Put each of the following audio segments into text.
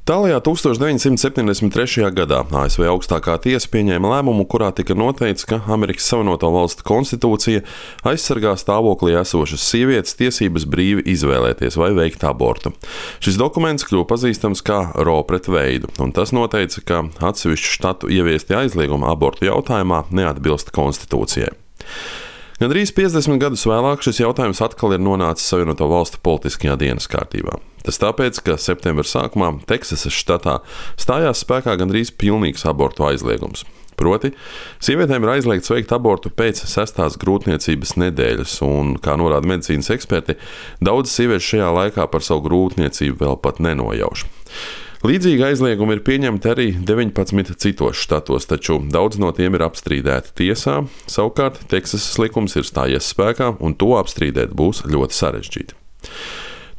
Tālajā 1973. gadā ASV augstākā tiesa pieņēma lēmumu, kurā tika noteikts, ka Amerikas Savienoto Valstu konstitūcija aizsargā stāvoklī esošas sievietes tiesības brīvi izvēlēties vai veikt abortu. Šis dokuments kļuva pazīstams kā Roe pret Veidu, un tas noteica, ka atsevišķu štatu ieviesti aizliegumi abortu jautājumā neatbilst konstitūcijai. Gandrīz 50 gadus vēlāk šis jautājums atkal ir nonācis Savienoto Valstu politiskajā dienas kārtībā. Tas tāpēc, ka septembra sākumā Teksasas štatā stājās spēkā gandrīz pilnīgs abortu aizliegums. Proti, sievietēm ir aizliegts veikt abortu pēc 6. grūtniecības nedēļas, un, kā norāda medicīnas eksperti, daudzas sievietes šajā laikā par savu grūtniecību vēl pat nenojauš. Līdzīgi aizliegumi ir pieņemti arī 19 citos štatos, taču daudz no tiem ir apstrīdēti tiesā. Savukārt Teksasas likums ir stājies spēkā, un to apstrīdēt būs ļoti sarežģīti.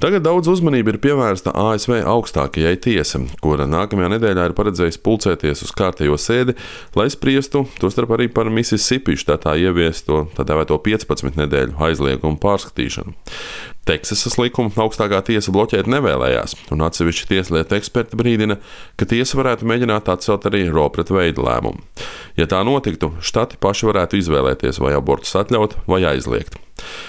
Tagad daudz uzmanība ir pievērsta ASV augstākajai tiesai, kura nākamajā nedēļā ir paredzējusi pulcēties uz kārtējo sēdi, lai spriestu tostarp arī par Mississippi štatā ieviesto tā dēvēto 15 nedēļu aizliegumu pārskatīšanu. Teksasas likumu augstākā tiesa bloķēt nevēlējās, un atsevišķi tieslietu eksperti brīdina, ka tiesa varētu mēģināt atcelt arī Roe pret Veidu lēmumu. Ja tā notiktu, štati paši varētu izvēlēties, vai abortus atļaut vai aizliegt.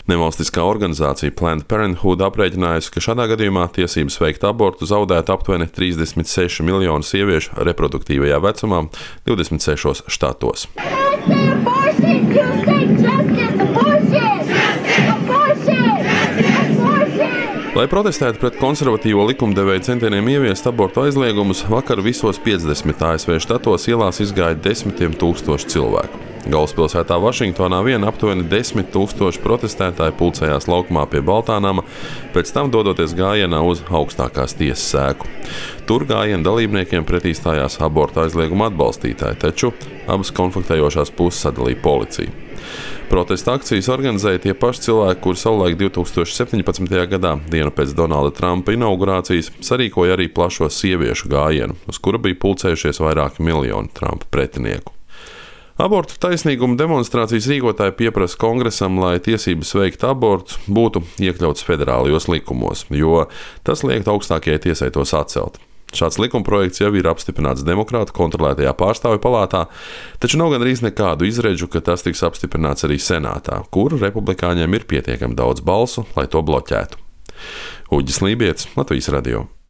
Nevalstiskā organizācija Planned Parenthood aprēķinājusi, ka šādā gadījumā tiesības veikt abortu zaudētu aptuveni 36 miljonu sieviešu reproduktīvajā vecumā 26 štatos. Lai protestētu pret konservatīvo likumdevēju centieniem ieviest abortu aizliegumus, vakar visos 50 ASV štatos ielās izgāja desmitiem tūkstoši cilvēku. Galvaspilsētā Vašingtonā vien aptuveni 10 000 protestētāji pulcējās laukumā pie Baltānama, pēc tam dodoties gājienā uz augstākās tiesas sēku. Tur gājiena dalībniekiem pretī stājās abortu aizlieguma atbalstītāji, taču abas konfliktējošās puses sadalīja policija. Protesta akcijas organizēja tie paši cilvēki, kuri savulaik 2017. gadā, dienu pēc Donalda Trumpa inaugurācijas, sarīkoja arī plašo sieviešu gājienu, uz kura bija pulcējušies vairāki miljoni Trumpa pretinieku. Abortu taisnīguma demonstrācijas rīkotāji pieprasa kongresam, lai tiesības veikt abortu būtu iekļauts federālajos likumos, jo tas liektu augstākajai tiesai tos atcelt. Šāds likumprojekts jau ir apstiprināts demokrātu kontrolētajā pārstāvju palātā, taču nav gandrīz nekādu izredzu, ka tas tiks apstiprināts arī senātā, kur republikāņiem ir pietiekami daudz balsu, lai to bloķētu. Uģis Lībietis, Latvijas radio.